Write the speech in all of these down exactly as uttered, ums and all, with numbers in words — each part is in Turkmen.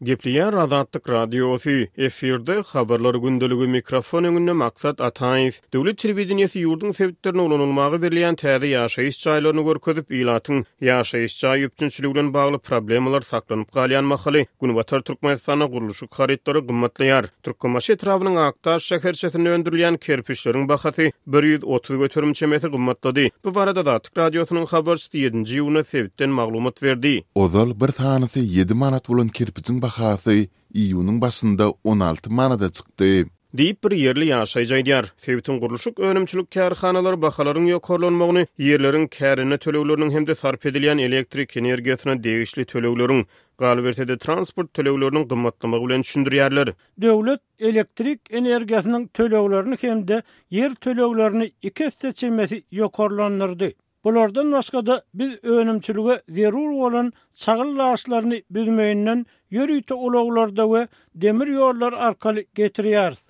Gepleýär Azatlyk Radiosy, efirde Habarlar gündeligi, mikrofon öňünde Maksat Ataýew. Döwlet telewideniýesi ýurduň sebitlerinde ulanylmaga berilýän täze ýaşaýyş jaýlaryny görkezip, ilatyň ýaşaýyş jaý üpjünçiligi bilen bagly problemalar saklanyp galýan mahaly, Günbatar Türkmenistanda gurluşyk harytlary gymmatlaýar. Türkmenbaşy etrabynyň Akdaş şäherçesinde öndürilýän kerpiçleriň bahasy bir ýüz otuz göterim çemesi gymmatlady. Bu barada Azatlyk Radiosynyň habarçysy ýedinji iýunda sebitden maglumat berdi. Ozal bir sanysy ýedi manat bolan kerpijiň bahasy iýunyň başynda on alty manada çykdy. Diýip, bir ýerli ýaşaýjy aýdýar. Sebitiň gurluşyk önümçilik kärhanalary bahalaryň ýokarlanmagyny ýerleriň kärende tölegleriniň hem-de sarp edilýän elektrik energiýasyna degişli tölegleriň, galyberse-de transport tölegleriniň gymmatlamagy bilen düşündirýärler. Döwlet elektrik energiýasynyň töleglerini hem-de ýer töleglerini iki esse çemesi ýokarlandyrdy. Bulardan başga-da biz önümçilige zerur bolan çagyl daşlaryny büzmeýinden ýörite ulaglarda we demir ýollar arkaly getirýäris.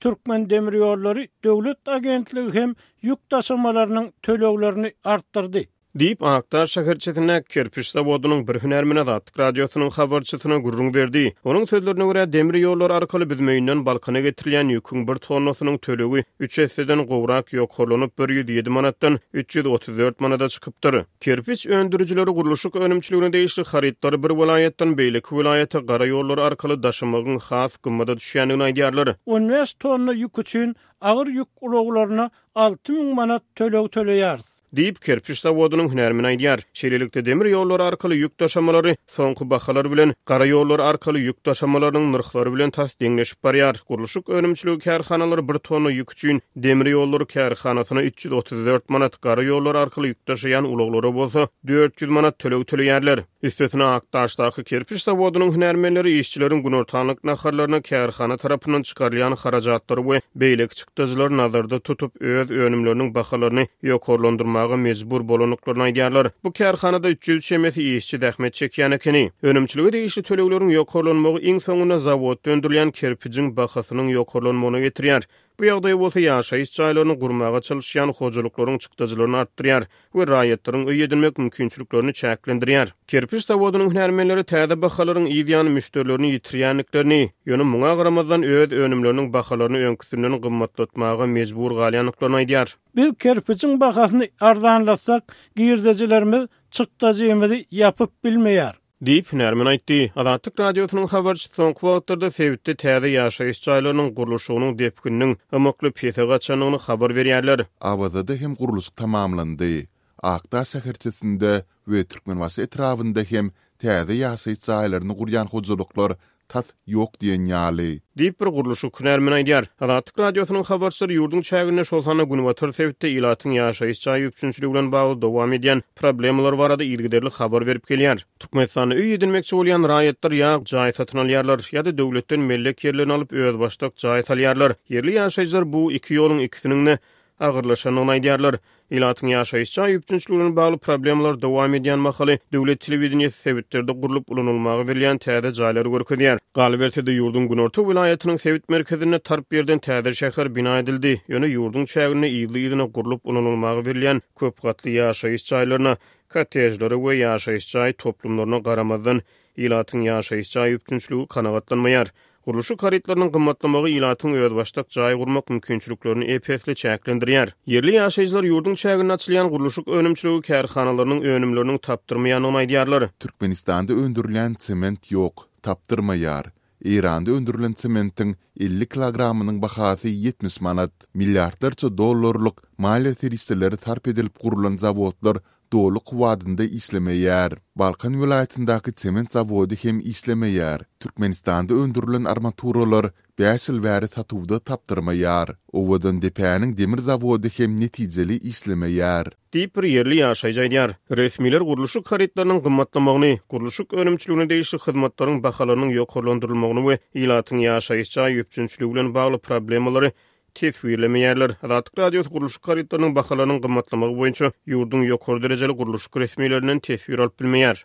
Türkmen demir ýollary döwlet agentligi hem ýük daşamalarynyň töleglerini artdyrdy. Diýip, Akdaş şäherçesindäki kerpiç zawodynyň bir hünärmeni Azatlyk Radiosynyň habarçysyna gürrüň berdi. Onuň sözlerine görä, demir ýollar arkaly Büzmeýinden Balkana getirilýän ýüküň bir tonnasynyň tölegi üç esseden gowrak ýokarlanyp, bir ýüz ýedi manatdan üç ýüz otuz dört manada çykypdyr. Kerpiç öndürijileri gurluşyk önümçiligine degişli harytlary bir welaýatdan beýleki welaýata gara ýollar arkaly daşamagyň has gymmada düşýändigini aýdýarlar. On bäş tonna ýük üçin agyr ýük ulaglaryna alty müň manat töleg töleýäris. Diýip, kerpiç zawodynyň hünärmeni aýdýar. Şeýlelikde, demir ýollary arkaly ýük daşamalary soňky bahalar bilen gara ýollar arkaly ýük daşamalarynyň nyrhlary bilen tas deňleşip barýar. Gurluşyk önümçiligi kärhanalary bir tonna ýük üçin demir ýollary kärhanasyna üç ýüz otuz dört manat, gara ýollar arkaly ýük daşaýan ulaglara bolsa dört ýüz manat töleg töleýärler. Üstesine, Akdaşdaky kerpiç zawodynyň hünärmenleri işçileriň günortanlyk naharlaryna kärhana tarapyndan çykarylýan harajatlary we beýleki çykdajylary nazarda tutup, öz önümleriniň bahalaryny ýokarlandyrmaga mejbur bolandyklaryny aýdýarlar. Bu kärhanada üç ýüz çemesi işçi zähmet çekýän ekeni. Önümçilige degişli tölegleriň ýokarlanmagy iň soňunda zawodda öndürilýän kerpijiň bahasynyň ýokarlanmagyna getirýär. Bu ýagdaý bolsa ýaşaýyş jaýlaryny gurmaga çalyşýan hojalyklaryň çykdajylaryny artdyrýar we raýatlaryň öý edinmek mümkinçiliklerini çäklendirýär. Kerpiç zawodynyň hünärmenleri täze bahalaryň yz ýany müşderilerini ýitirýändiklerini, ýöne muňa garamazdan öz önümleriniň bahalaryny öňküsinden gymmatlatmaga mejbur galýandyklaryny aýdýar. Biz kerpijiň bahasyny arzanlatsak, girdejilerimiz çykdajymyzy ýapyp bilmeýär. Diýip, hünärmen aýtdy. Azatlyk Radiosynyň habarçysy soňky wagtlarda sebitde täze ýaşaýyş jaýlarynyň gurluşygynyň depgininiň ymykly pese gaçandygyny habar berýärler. Awazada hem gurluşyk tamamlandy. Akdaş şäherçesinde we Türkmenbaşy etrabynda hem täze ýaşaýyş jaýlaryny gurýan hojalyklar tas ýok diýen ýaly. Diýip, bir gurluşyk hünärmeni aýdýar. Azatlyk Radiosynyň habarçylary ýurduň çäginde, şol sanda günbatar sebitde ilatyň ýaşaýyş jaý üpjünçiligi bilen bagly dowam edýän problemalar barada yzygiderli habar berip gelýär. Türkmenistanda öý edinmekçi bolýan raýatlar ýa jaý satyn alýarlar, ýa-da döwletden mellek ýerlerini alyp özbaşdak jaý salýarlar. Ýerli ýaşaýjylar bu iki ýoluň ikisiniň-de agyrlaşandygyny aýdýarlar. Ilatyň ýaşaýyş jaý üpjünçiligi bilen bagly problemalar dowam edýän mahaly döwlet telewideniýesi sebitlerde gurlup ulanylmaga berilýän täze jaýlary görkezýär. Galyberse-de, ýurduň günorta welaýatynyň sebit merkezinde tarp ýerden täze şäher bina edildi. Ýöne ýurduň çäginde yzly-yzyna gurlup ulanylmaga berilýän köp gatly ýaşaýyş jaýlaryna, kottejlere we ýaşaýyş jaý toplumlaryna garamazdan ilatyň ýaşaýyş jaý üpjünçiligi kanagatlanmaýar. Gurluşyk harytlarynyň gymmatlamagy ilatyň özbaşdak jaý gurmak mümkinçiliklerini ep-esli çäklendirýär. Ýerli ýaşaýjylar ýurduň çäginde açylýan gurluşyk önümçiligi kärhanalarynyň önümleriniň tapdyrmaýandygyny aýdýarlar. Türkmenistanda öndürilýän sement ýok, tapdyrmaýar. Eýranda öndürilen sementiň elli kilogramynyň bahasy ýetmiş manat. Milliardlarça dollarlyk maliýe serişdeleri sarp edilip gurlan zawodlar doly kuwwatynda işlemeýär. Balkan welaýatyndaky sement zawody hem işlemeýär. Türkmenistanda öndürilen armaturalar bäş ýyl bäri satuwda tapdyrmaýar. Owadandepäniň demir zawody hem netijeli işlemeýär. Diýip, bir ýerli ýaşaýjy aýdýar. Resmiler gurluşyk harytlarynyň gymmatlamagyny, gurluşyk önümçiligine degişli hyzmatlaryň bahalarynyň ýokarlandyrylmagyny we ilatyň ýaşaýyş jaý üpjünçiligi bilen bagly problemalary teswirlemeýärler. Azatlyk Radiosy gurluşyk harytlarynyň bahalarynyň gymmatlamagy boýunça ýurduň ýokary derejeli gurluşyk resmilerinden teswir alyp bilmeýär.